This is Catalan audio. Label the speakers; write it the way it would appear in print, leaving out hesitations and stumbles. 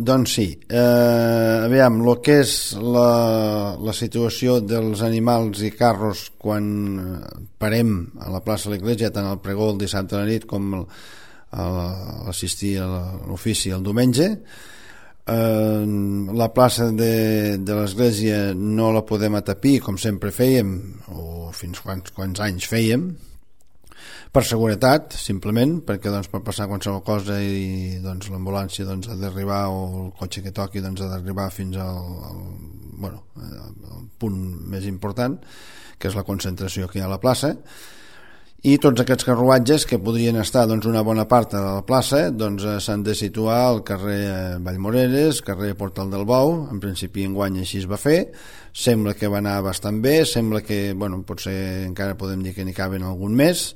Speaker 1: Doncs sí, aviam, el que és la situació dels animals i carros quan parem a la plaça de l'Església, tant al pregó el dissabte a la nit com assistir a l'ofici el diumenge. La plaça de l'Església no la podem atapir com sempre fèiem, o fins quants anys fèiem, per seguretat, simplement, perquè doncs, pot passar qualsevol cosa i doncs, l'ambulància doncs, ha d'arribar, o el cotxe que toqui doncs, ha d'arribar fins al punt més important, que és la concentració que hi ha a la plaça. I tots aquests carruatges que podrien estar doncs, una bona part de la plaça doncs, s'han de situar al carrer Vallmoreres, carrer Portal del Bou. En principi enguany així es va fer, sembla que va anar bastant bé, sembla que potser encara podem dir que n'hi caben algun més.